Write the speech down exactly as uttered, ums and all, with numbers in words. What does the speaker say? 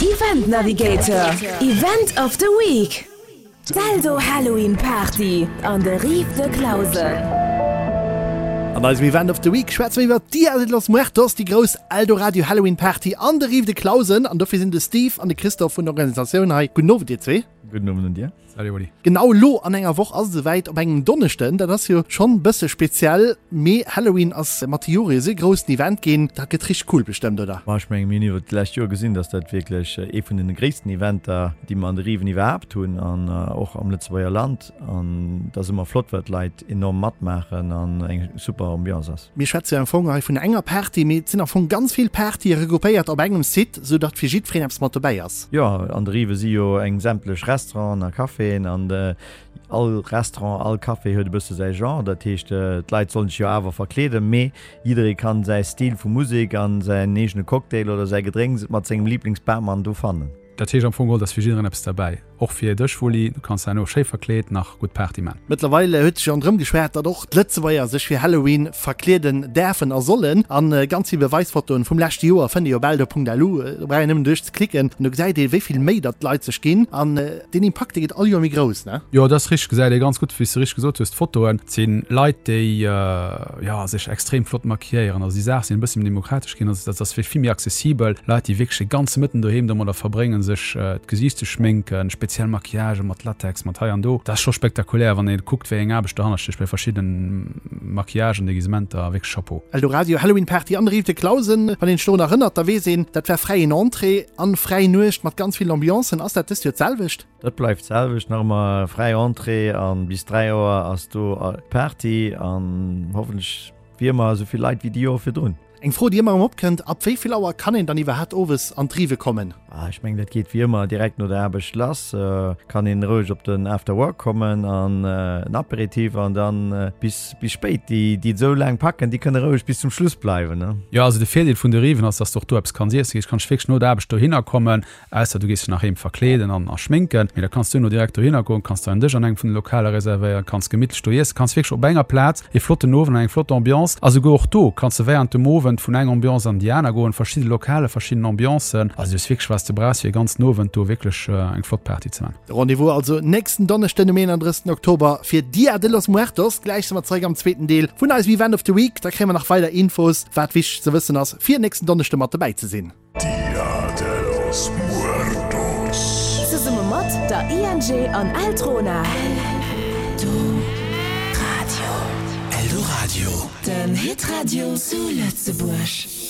Event Navigator, Event of the Week, D'Eldo Halloween Party an de Rives de Clausen. An eisem Event of the Week schwätze mir iwwer Dia de los Muertos, déi grouss Eldoradio Halloween Party an de Rives de Clausen. An dofir sinn de Steve an de Christophe vun der Organisatioun hei. Gudden Owend dir zwee. Gudden Owend un dir. Salut Oli. Genau elo an enger Woch ass et esouwäit, op engem Donneschden. Dat ass jo schonn bësse speziell, mee Halloween ass mat de Jore esou e groussen Event ginn. Dat gëtt richteg cool bestëmmt, oder? Ma ech mengen, mir hunn iwwert d'lescht Joer gesinn, dass dat wierklech ee vun den gréissten Eventer, déi mer an de Riven iwwerhaapt hunn an och am Lëtzebuerger Land. An et ass ëmmer flott, well d'Leit enorm matmaachen an eng super Ambiance ass. Mir schwätze jo am Fong hei vun enger Party, mee et sinn am Fong ganz vill Partye regroupéiert op engem Site, sou datt fir jiddwereen eppes mat dobäi ass. Jo, an de Rive si jo eng sämtlech Restauranten a Caféen an all Restaurant, all Café huet e bësse säi Genre. Dat heescht, d'Leit sollen sech jo awer verkleeden, mee jidderee kann säi Stil vu Musek an säin eegene Cocktail oder säi Gedrénks mat sengem Liblingsbarmann do fannen. Dat heescht am Fong geholl, et ass fir jiddereen eppes derbäi. Och fir dech Wulli, du kanns herno schéi verkleet nach gutt Party man. Mëttlerweil huet sech jo ronderëm geschwat, datt och d'Lëtzebuerger sech fir Halloween verkleeden däerfen a sollen. An ganz vill Beweisfotoen vum leschte Joer fënnt ee jo op eldo.lu. Do brauch een nëmmen duerch ze klicken an do gesäit ee wéi vill Méi datt d'Leit sech ginn. An deen Impakt dee gëtt all Joer méi grouss, ne? Jo, dat ass richteg, gesäit ee ganz gutt, wéi s de richteg gesot hues, d'Fotoen. Et si Leit, déi jo sech extrem flott maquilléieren. Also déi Saach sinn e bësse méi demokratesch ginn, also dat ass vill méi accessibel. Leit, déi wierklech de ganze Mëtten doheem domadder verbréngen, sech d'Gesiicht ze schminken, speziell Maquillagë mat Latex, mat hei an do. Dat ass scho spektakulär, wann ee kuckt, wéi eng Aarbecht dohannert stécht bei verschiddene Maquillagen, Deguisementer. Wierklech Chapeau. Eldoradio Halloween Party an der Rive de Clausen. Wann een sech dorun erënnert, da weess een, dat war fräien Entrée an fräi Nuecht mat ganz vill Ambiancen. Ass dat dëst Joer d'selwecht? Dat bleift d'selwecht, nach ëmmer fräi Entrée an bis dräi Auer ass do Party an hoffentlech wéi ëmmer esou vill Leit wéi déi Joer virdrun. Eng Fro déi ëmmer erëm opkënnt, Ab wéi vill Auer kann een dann iwwerhaapt owes an d'Rive kommen? Ah, ech mengen dat geet wéi ëmmer direkt no der Aarbecht lass. Kann een roueg op den After Work kommen an en Aperitif an dann bis bis spéit. Déi déi et esou laang packen, déi kënne roueg bis zum Schluss bleiwen, ne? Jo, also de Virdeel vun de Riven ass, dass de och do eppes kanns iessen. Ech kann wierklech no der Aarbecht dohinner kommen, ausser du gees dech nach heem verkleeden an a schminken, mee da kanns du duerno direkt dohinner goen, kanns der en Dësch an engem vun de Lokaler reservéieren, kanns gemittlech do iessen, kanns wierklech op enger Plaz e flotten Owend an eng flott Ambiance a souguer och do kanns de während dem Owend vun enger Ambiance an déi aner goen, verschidde Lokale, verschidden Ambiancen. Also du hues wierklech wat s de brauchs fir e ganzen Owend do wierklech eng flott Party ze man. De Rendez-vous also nächsten Donneschden um eenanddrëssigsten Oktober fir Dia de los Muertos. Gläich si mer zeréck am zweeten Deel vun eisem Event of the Week. Da kréie mer nach weider Infos, wat wichteg ze wëssen ass, fir nächsten Donneschde mat dobäi ze sinn. Dia de los Muertos. Zesumme mat der I N G an Eltrona. Eldoradio. Eldoradio. Den Hitradio zu Lëtzebuerg.